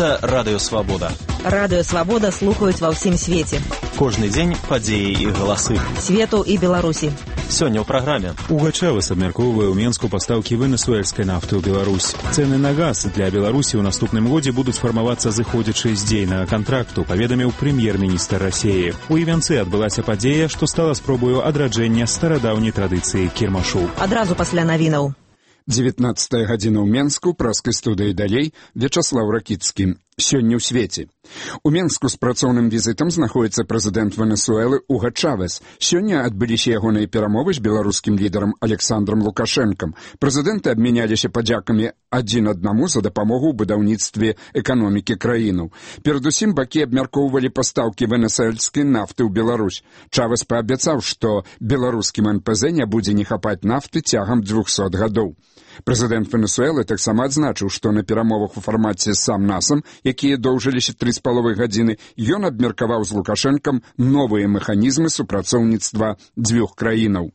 Гэта Радыё Свабода. Радыё Свабода слухаюць ва ўсім свеце. Кожны дзень падзеі і галасы. Свету і Беларусі. Сёння ў праграме. Угачавас абмяркоўвае ў Менску пастаўкі венесуэльскай нафты ў Беларусь. Цэны на газ для Беларусі ў наступным годзе будуць фармавацца зыходзячы з дзейнага кантракту, паведаміў прэм'ер-міністр Расіі. У Івянцы адбылася падзея, што стала спробаю адраджэння старадаўняй традыцыі кірмашу. Адразу пасля навінаў. 19 гадзіна ў Менску, праскай студыі далей, Вячаслаў Ракіцкі. Сёння ў свеце. У Менску з працоўным візітам знаходзіцца прэзідэнт Венесуэлы Уга Чавес. Сёння адбыліся ягоныя перамовы з беларускім лідарам Александром Лукашэнкам. Прэзідэнты абмяняліся падзякамі адзін аднаму за дапамогу ў будаўніцтве эканомікі краінаў. Перадусім бакі абмяркоўвалі пастаўкі венесуэльскай нафты ў Беларусь. Чавес паабяцаў, што беларускім НПЗ не будзе не хапаць нафты цягам 200 гадоў. Прэзідэнт Венесуэлы таксама адзначыў, што на перамовах у фармаце сам-насам, якія доўжыліся 3,5 гадзіны, ён абмеркаваў з Лукашэнкам новыя механізмы супрацоўніцтва дзвюх краінаў.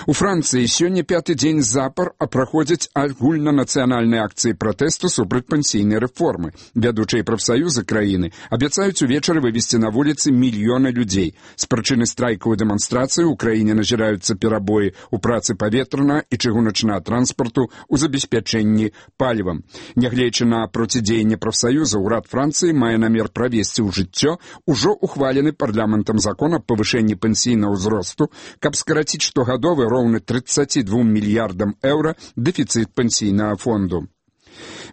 У Францыі сёння 5-й дзень запар праходзяць агульнанацыянальныя акцыі пратэсту супраць пенсійнай рэформы. Вядучыя прафсаюзы краіны абяцаюць увечары вывесці на вуліцы мільёны людзей. З прычыны страйкаў і дэманстрацыі ў краіне назіраюцца перабоі ў працы паветранага і чыгуначнага транспарту ў забеспячэнні палівам. Нягледзячы на процідзеянне прафсаюза, урад Францыі мае намер правесці ў жыццё ўжо ухвалены парламентам закон аб павышэнні пенсійнага ўзросту, каб скараціць штогадовы роўны 32 мільярдам еўра дэфіцыт пенсійнага фонду.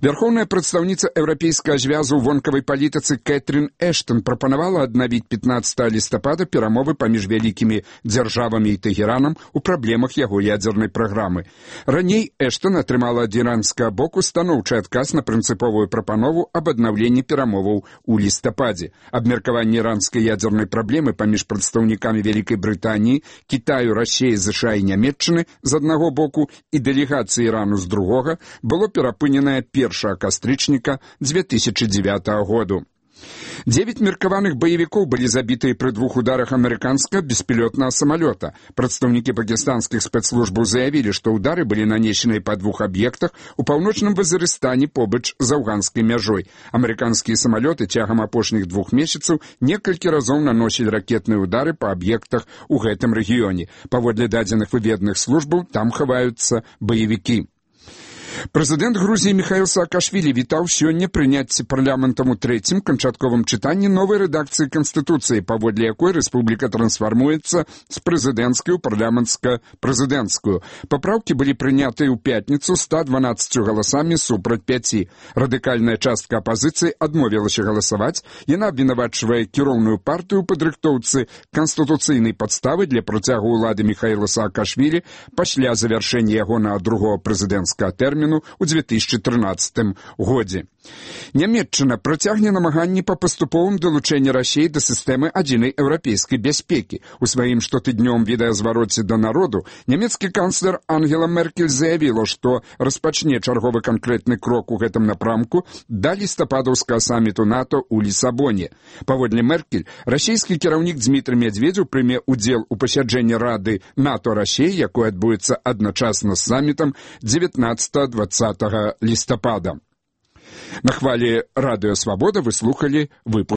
Вярхоўная прадстаўніца Еўрапейскага звязу ў вонкавай палітыцы Кэтрин Эштон прапанавала аднавіць 15 лістапада перамовы паміж вялікімі дзяржавамі і Тэгеранам у праблемах яго ядзернай праграмы. Раней Эштон атрымала ад іранскага боку станоўчы адказ на прынцыповую прапанову аб аднаўленні перамоваў у лістападзе. Абмеркаванне іранскай ядзернай праблемы паміж прадстаўнікамі Вялікай Брытаніі, Кітаю, Расіі, ЗША і Нямецчыны з аднаго боку і дэлегацыі Ірану з другога было перапыненае 1 кастрычніка 2009 году. 9 меркаваных баевікоў былі забітыя пры 2 ударах амерыканскага беспілётнага самалёта. Прадстаўнікі пакістанскіх спецслужбаў заявілі, што ўдары былі нанесеныя па 2 аб'ектах у паўночным Вазырыстане побач з афганскай мяжой. Амерыканскія самалёты цягам апошніх 2 месяцаў некалькі разоў наносілі ракетныя ўдары па аб'ектах у гэтым рэгіёне. Паводле дадзеных выведных службаў, там хаваюцца баевікі. Прэзідэнт Грузіі Міхаіл Саакашвілі вітаў сёння прыняцце парламентам у 3-м канчатковым чытанні новай рэдакцыі Канстытуцыі, паводле якой рэспубліка трансфармуецца з прэзідэнцкай у парламенцка-прэзідэнцкую. Папраўкі былі прынятыя ў пятніцу 112 галасамі супраць 5. Радыкальная частка апазіцыі адмовілася галасаваць. Яна абвінавачвае кіроўную партыю ў падрыхтоўцы канстытуцыйнай падставы для працягу ўлады Міхаіла Саакашвілі пасля завяршэння ягонага другого прэзідэнцкага тэрміну у 2013 годзе. Нямецчына працягне намаганні па паступовым далучэнні Расіі да сістэмы адзінай еўрапейскай бяспекі. У сваім штотыднёвым відэазвароце да народу нямецкі канцлер Ангела Меркель заявіла, што распачне чарговы канкрэтны крок у гэтым напрамку да лістападаўскага саміту НАТО ў Лісабоне. Паводле Меркель, расійскі кіраўнік Дзмітрый Медведзеў прыме ўдзел у пасяджэнні Рады НАТО-Расіі, якое адбудзецца адначасна з самітам 19-20 лістапада. На хвалі Радыё Свабода вы слухалі выпуск